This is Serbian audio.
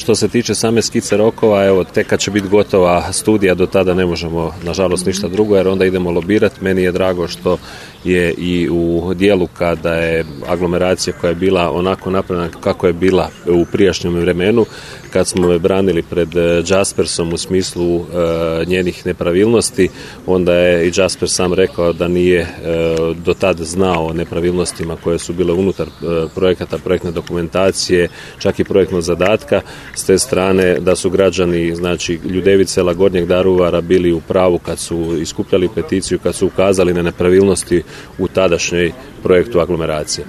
Što se tiče same skice rokova, evo, tek kad će biti gotova studija, do tada ne možemo, nažalost, ništa drugo, jer onda idemo lobirati. Meni je drago što je i u dijelu kada je aglomeracija koja je bila onako napravljena kako je bila u prijašnjem vremenu, kad smo je branili pred Jaspersom u smislu njenih nepravilnosti, onda je i Jasper sam rekao da nije do tada znao o nepravilnostima koje su bile unutar projekata, projektne dokumentacije, čak i projektnog zadatka. S te strane da su građani, znači Ljudevice, sela Gornjeg Daruvara, bili u pravu kad su iskupljali peticiju, kad su ukazali na nepravilnosti u tadašnjoj projektu aglomeracije.